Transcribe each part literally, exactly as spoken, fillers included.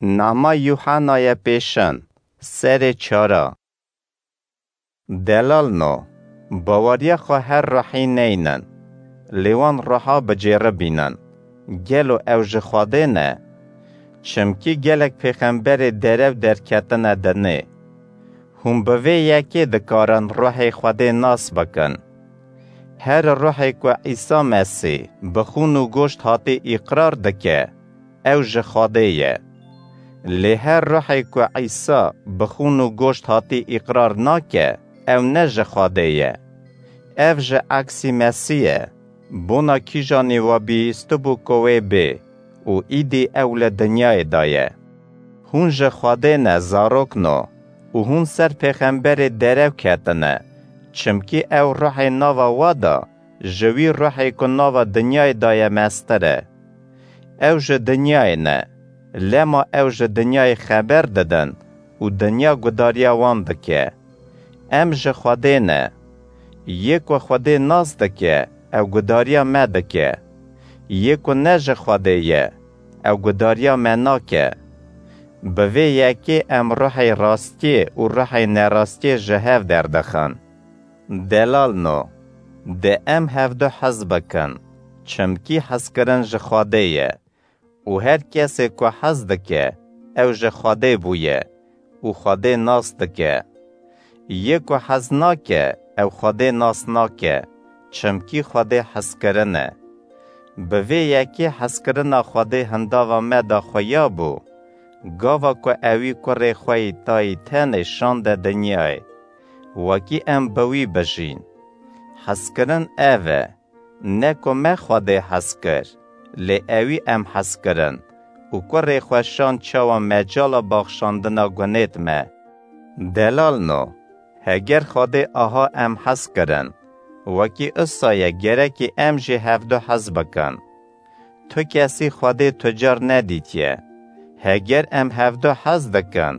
Nama Yuhanaye pêşin, serê çara. Delalno, baweriya xwe her ruhî neynin, lê wan ruha bicêribînin. Gelo ew ji Xwedê ne? Çimkî gelek pêxemberê derew derketine dinê. Hûn bi vê yekê dikarin ruhê Xwedê nas bikin. Her ruhê ku Îsa Mesîh bi xûn û goşt hatî îqrar dike, ew ji Xwedê ye. Lê her ruhê ku Îsa bi xûn û goşt hatî îqrar nake, ew ne ji Xwedê ye. Ev ji eksî Mesîh ye. Bona kîjanî we bihîstibû ku wê bê û îdî ew li dinyayê de ye. Hûn ji Xwedê ne, zarokno, û hûn ser pêxemberê derew ketine, çimkî ew ruhê nava we de ji wî ruhê ku nava dinyayê de ye mestir e. Ew ji dinyayê ne, lema ew ji dinyayê xeber didin û dinya gudariya wan dike. Em ji Xwedê ne. Yê ku Xwedê nas dike, ew gudariya me dike. Yê ku ne ji Xwedê ye, ew gudariya me nake. Bi vê yekê em ruhê rastiyê û ruhê nerastiyê ji hev derdixin. Delalno, de em hevdu hez bikin, çimkî hezkirin ji Xwedê ye. Û her kesê ku hez dike, ew ji Xwedê bûye û Xwedê nas dike. Yê ku hez nake, ew Xwedê nas nake, çimkî Xwedê hezkirin e. Bi vê yekê hezkirina Xwedê hindava me de xuya bû, gava ku ewî kurê xwe yî tayî tenê şande dinyayê, wekî em bi wî bijîn. Hezkirin ev e, ne ku me Xwedê hez kir, lê ewî em hez kirin û kurê xwe şand çawa mecala baxşandina gunêt me. Delalno, heger Xwedê aha em hez kirin, wekî isa ye gerekî em jî hevdu hez bikin. Tu kesî Xwedê tu car nedîtiye. Heger em hevdu hez dikin,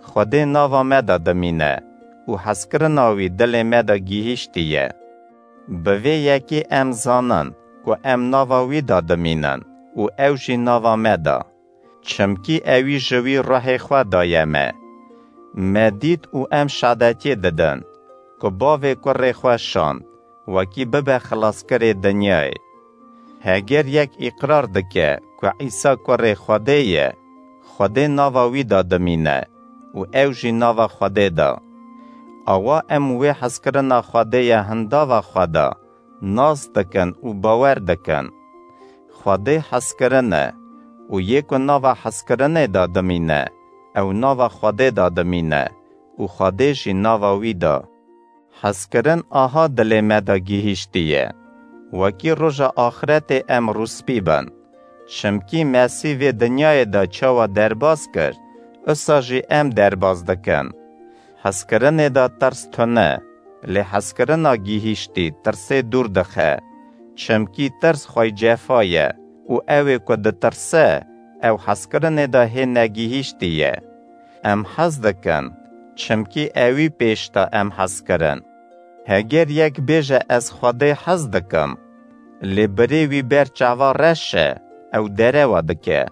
Xwedê nava me de dimîne û hezkirina wî dilê me de gihîştiye. Bi vê yekê em zanin ku em nava wî de dimînin û ew jî nava me de. Çimkî ewî ji wî ruhê xwe daye me. Me dît û em şadetiyê didin ku bavê kurê xwe şand, wekî bibe xilaskirê dinyayê. Heger yek îqrar dike ku Îsa kurê Xwedê ye, Xwedê nava wî de dimîne û ew jî nava Xwedê de. Awa em wê hezkirina Xwedê ye hindava xwe de nas dikin û bawer dikin. Xwedê hezkirin e û yê ku nava hezkirinê de dimîne, ew nava Xwedê de dimîne û Xwedê jî nava wî de. Hezkirin aha dilê me de gihîştiye, wekî roja axretê em rûspî bin. Çimkî Mesîh vê dinyayê de çawa derbas kir, isa jî em derbas dikin. Hezkirinê de tirs tune, lê hezkirina gihîştî tirsê dûr dixe. Çimkî tirs xwey cefa ye û ew ê ku ditirse, ew hezkirinê de hê negihîştî ye. Em hez dikin, çimkî ewî pêş de em hez kirin. Heger yek bêje, ez Xwedê hez dikim, lê birê wî ber çava reş e, ew derewa dike.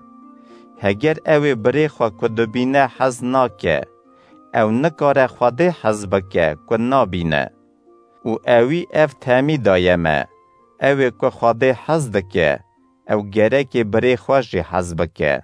Heger ew ê birê xwe ku dibîne hez nake, ew nikare Xwedê hez bike ku nabîne. Û ewî ev temî daye me, ew ê ku Xwedê hez dike, ew gerekê birê xwe jî hez bike.